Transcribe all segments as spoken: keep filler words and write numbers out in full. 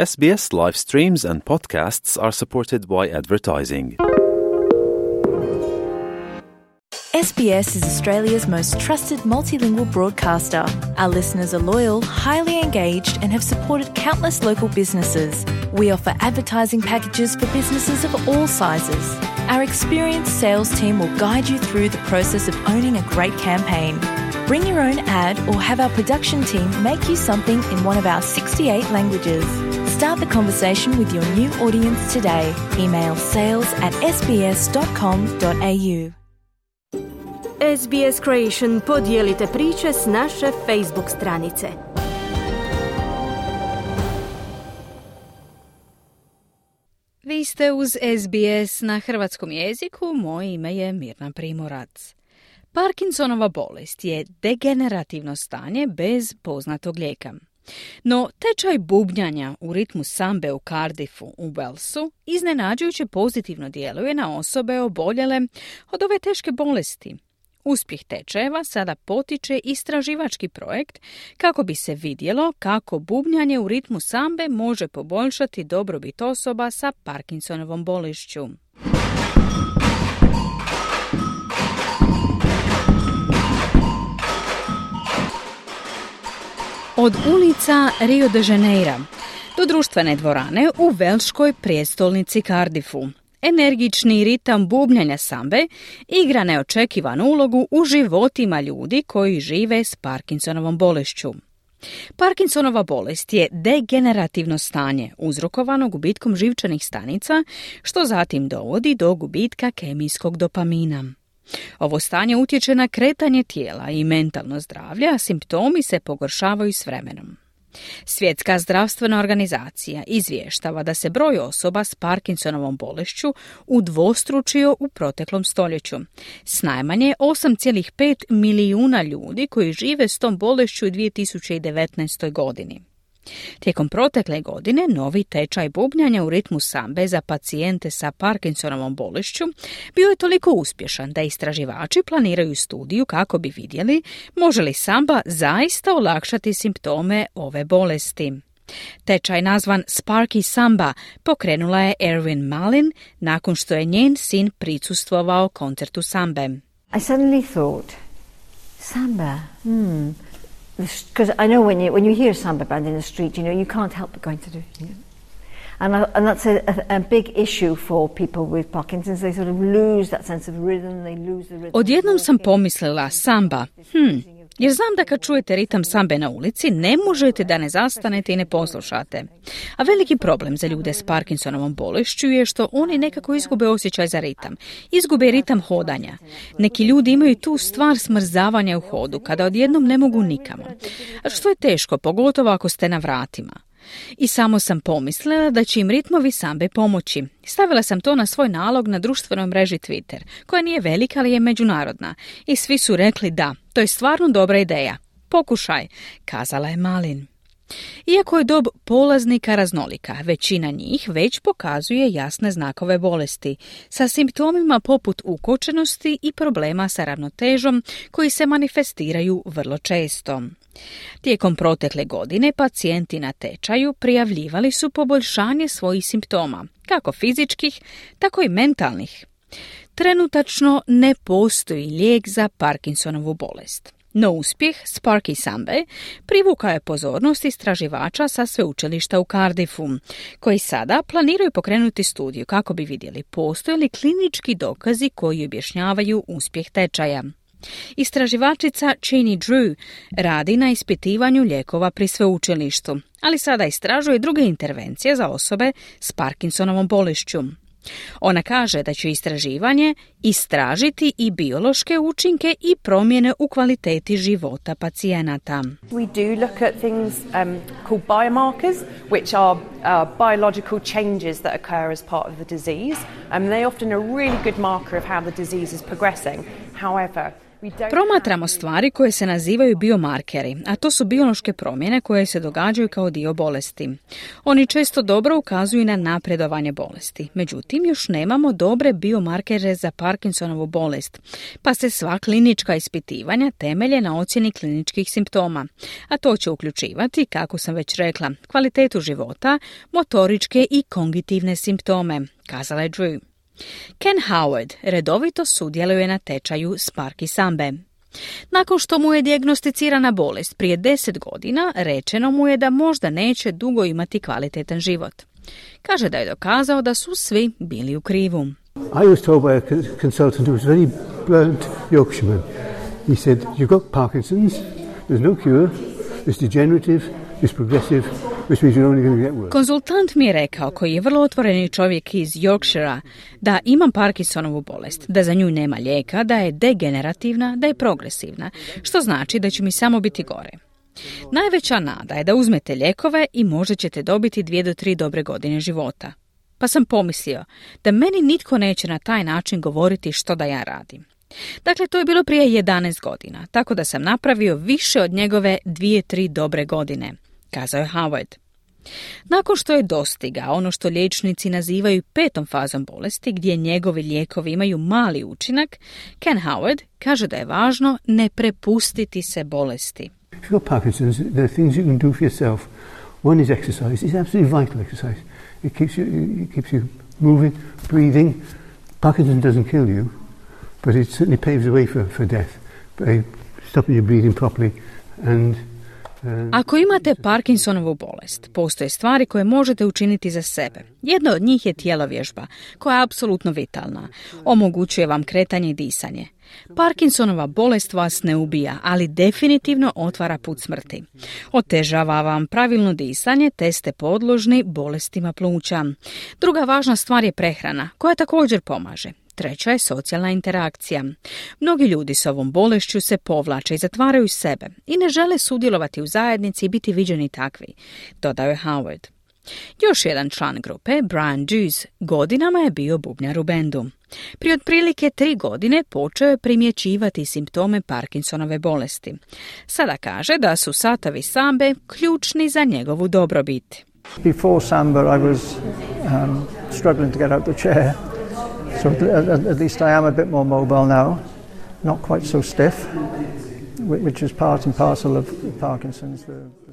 S B S live streams and podcasts are supported by advertising. S B S is Australia's most trusted multilingual broadcaster. Our listeners are loyal, highly engaged, and have supported countless local businesses. We offer advertising packages for businesses of all sizes. Our experienced sales team will guide you through the process of owning a great campaign. Bring your own ad or have our production team make you something in one of our sixty-eight languages. Start the conversation with your new audience today. Email sales at s b s dot com dot a u. S B S Creation podijelite priče s naše Facebook stranice. Vi ste uz S B S na hrvatskom jeziku, moje ime je Mirna Primorac. Parkinsonova bolest je degenerativno stanje bez poznatog lijeka. No, tečaj bubnjanja u ritmu sambe u Cardiffu u Walesu iznenađujuće pozitivno djeluje na osobe oboljele od ove teške bolesti. Uspjeh tečajeva sada potiče istraživački projekt kako bi se vidjelo kako bubnjanje u ritmu sambe može poboljšati dobrobit osoba sa Parkinsonovom bolešću. Od ulica Rio de Janeiro do društvene dvorane u velškoj prijestolnici Cardiffu. Energični ritam bubnjanja sambe igra neočekivanu ulogu u životima ljudi koji žive s Parkinsonovom bolešću. Parkinsonova bolest je degenerativno stanje uzrokovano gubitkom živčanih stanica, što zatim dovodi do gubitka kemijskog dopamina. Ovo stanje utječe na kretanje tijela i mentalno zdravlje, a simptomi se pogoršavaju s vremenom. Svjetska zdravstvena organizacija izvještava da se broj osoba s Parkinsonovom bolešću udvostručio u proteklom stoljeću, s najmanje osam zarez pet milijuna ljudi koji žive s tom bolešću u dvije tisuće devetnaestoj. godini. Tijekom protekle godine novi tečaj bubnjanja u ritmu sambe za pacijente sa Parkinsonovom bolešću bio je toliko uspješan da istraživači planiraju studiju kako bi vidjeli može li samba zaista olakšati simptome ove bolesti. Tečaj nazvan Sparky Samba pokrenula je Erwin Malin nakon što je njen sin prisustvovao koncertu sambe. I suddenly thought, samba, hmm... Because I know when you when you hear a samba band in the street, you know, you can't help but going to do it. You know? And, I, and that's a, a, a big issue for people with Parkinson's. They sort of lose that sense of rhythm, they lose the rhythm. Odjednom sam pomislila samba, hm, jer znam da kad čujete ritam sambe na ulici, ne možete da ne zastanete i ne poslušate. A veliki problem za ljude s Parkinsonovom bolešću je što oni nekako izgube osjećaj za ritam. Izgube ritam hodanja. Neki ljudi imaju tu stvar smrzavanja u hodu, kada odjednom ne mogu nikamo. A što je teško, pogotovo ako ste na vratima. I samo sam pomislila da će im ritmovi sambe pomoći. Stavila sam to na svoj nalog na društvenoj mreži Twitter, koja nije velika, ali je međunarodna. I svi su rekli da, to je stvarno dobra ideja. Pokušaj, kazala je Malin. Iako je dob polaznika raznolika, većina njih već pokazuje jasne znakove bolesti, sa simptomima poput ukočenosti i problema sa ravnotežom koji se manifestiraju vrlo često. Tijekom protekle godine pacijenti na tečaju prijavljivali su poboljšanje svojih simptoma, kako fizičkih, tako i mentalnih. Trenutačno ne postoji lijek za Parkinsonovu bolest. No uspjeh Sparky Sambe privukao je pozornost istraživača sa sveučilišta u Cardiffu, koji sada planiraju pokrenuti studiju kako bi vidjeli postoje li klinički dokazi koji objašnjavaju uspjeh tečaja. Istraživačica Cheney Drew radi na ispitivanju lijekova pri sveučilištu, ali sada istražuje druge intervencije za osobe s Parkinsonovom bolešću. Ona kaže da će istraživanje istražiti i biološke učinke i promjene u kvaliteti života pacijenata. We do look at things um, called biomarkers, which are uh, biological changes that occur as part of the disease. Um, they often are a really good marker of how the disease is progressing. However, Promatramo stvari koje se nazivaju biomarkeri, a to su biološke promjene koje se događaju kao dio bolesti. Oni često dobro ukazuju na napredovanje bolesti. Međutim, još nemamo dobre biomarkere za Parkinsonovu bolest, pa se sva klinička ispitivanja temelje na ocjeni kliničkih simptoma. A to će uključivati, kako sam već rekla, kvalitetu života, motoričke i kognitivne simptome, kazala je Drew. Ken Howard redovito sudjeluje na tečaju Sparky Sambe. Nakon što mu je dijagnosticirana bolest prije deset godina, rečeno mu je da možda neće dugo imati kvalitetan život. Kaže da je dokazao da su svi bili u krivu. I was told by a consultant who was very blunt Yorkshireman. He said, you've got Parkinson's, there's no cure, it's degenerative, it's progressive, which means you're only going to get worse. Konzultant mi je rekao, koji je vrlo otvoreni čovjek iz Yorkshira, da imam Parkinsonovu bolest, da za nju nema lijeka, da je degenerativna, da je progresivna, što znači da će mi samo biti gore. Najveća nada je da uzmete lijekove i možda ćete dobiti dvije do tri dobre godine života. Pa sam pomislio da meni nitko neće na taj način govoriti što da ja radim. Dakle, to je bilo prije jedanaest godina, tako da sam napravio više od njegove dvije, tri dobre godine, kazao je Howard. Nakon što je dostigao ono što liječnici nazivaju petom fazom bolesti, gdje njegovi lijekovi imaju mali učinak, Ken Howard kaže da je važno ne prepustiti se bolesti. If you've got Parkinson's, there are things you can do for yourself. One is exercise. It's absolutely vital exercise. It keeps you, it keeps you moving, breathing. Parkinson doesn't kill you, but it certainly paves the way for, for death by stopping your breathing properly. And, uh, Ako imate Parkinsonovu bolest, postoje stvari koje možete učiniti za sebe. Jedna od njih je tjelovježba, koja je apsolutno vitalna. Omogućuje vam kretanje i disanje. Parkinsonova bolest vas ne ubija, ali definitivno otvara put smrti. Otežava vam pravilno disanje, te ste podložni bolestima pluća. Druga važna stvar je prehrana, koja također pomaže. Treća je socijalna interakcija. Mnogi ljudi s ovom bolešću se povlače i zatvaraju sebe i ne žele sudjelovati u zajednici i biti viđeni takvi, dodao je Howard. Još jedan član grupe, Brian Dews, godinama je bio bubnjar u bendu. Prije otprilike tri godine počeo je primjećivati simptome Parkinsonove bolesti. Sada kaže da su satovi sambe ključni za njegovu dobrobit. Before samba I was um, struggling to get out the chair. So at, at least I am a bit more mobile now, not quite so stiff, which is part and parcel of Parkinson's.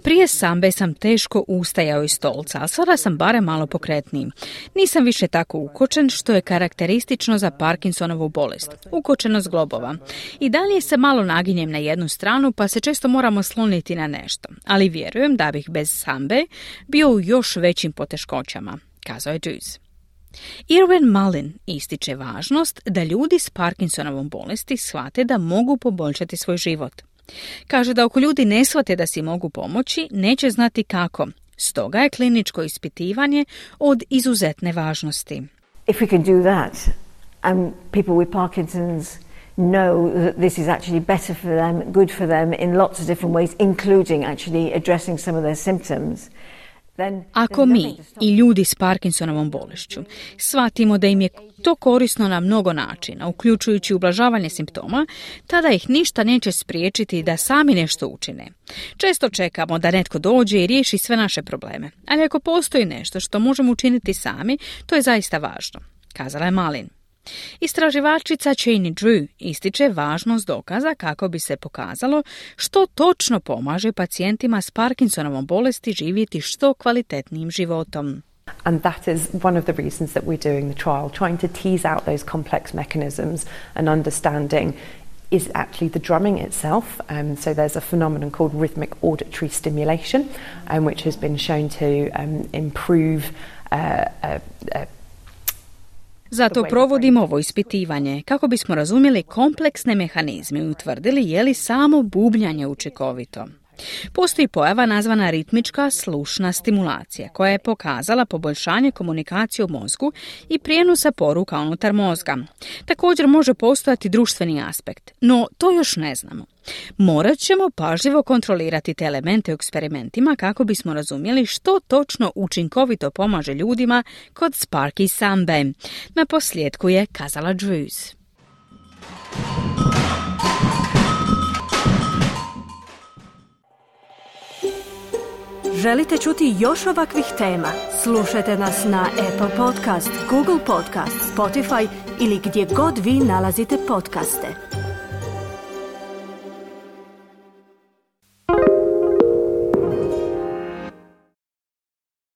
Prije sambe sam teško ustajao iz stolca, a sada sam barem malo pokretniji. Nisam više tako ukočen, što je karakteristično za Parkinsonovu bolest, ukočenost globova. I dalje se malo naginjem na jednu stranu, pa se često moramo sloniti na nešto. Ali vjerujem da bih bez sambe bio u još većim poteškoćama, kazao je Dews. Irwin Mullin ističe važnost da ljudi s Parkinsonovom bolesti shvate da mogu poboljšati svoj život. Kaže da ako ljudi ne shvate da si mogu pomoći, neće znati kako. Stoga je kliničko ispitivanje od izuzetne važnosti. If we can do that, and people with Parkinson's know that this is actually better for them, good for them in lots of different ways, including actually addressing some of their symptoms, Ako mi i ljudi s Parkinsonovom bolešću shvatimo da im je to korisno na mnogo načina, uključujući ublažavanje simptoma, tada ih ništa neće spriječiti da sami nešto učine. Često čekamo da netko dođe i riješi sve naše probleme, ali ako postoji nešto što možemo učiniti sami, to je zaista važno, kazala je Mullin. Istraživačica Cheney Drew ističe važnost dokaza kako bi se pokazalo što točno pomaže pacijentima s Parkinsonovom bolesti živjeti što kvalitetnijim životom. And that is one of the reasons that we're doing the trial, trying to tease out those complex mechanisms and understanding is actually the drumming itself. Um, so there's a phenomenon called rhythmic auditory stimulation, um, which has been shown to um, improve uh, uh, uh, Zato provodimo ovo ispitivanje kako bismo razumjeli kompleksne mehanizme i utvrdili je li samo bubnjanje učinkovito. Postoji pojava nazvana ritmička slušna stimulacija koja je pokazala poboljšanje komunikacije u mozgu i prijenosa poruka unutar mozga. Također može postojati društveni aspekt, no to još ne znamo. Morat ćemo pažljivo kontrolirati te elemente u eksperimentima kako bismo razumjeli što točno učinkovito pomaže ljudima kod Sparky Sambe. Na posljedku je kazala Drews. Želite čuti još ovakvih tema? Slušajte nas na Apple Podcast, Google Podcast, Spotify ili gdje god vi nalazite podcaste.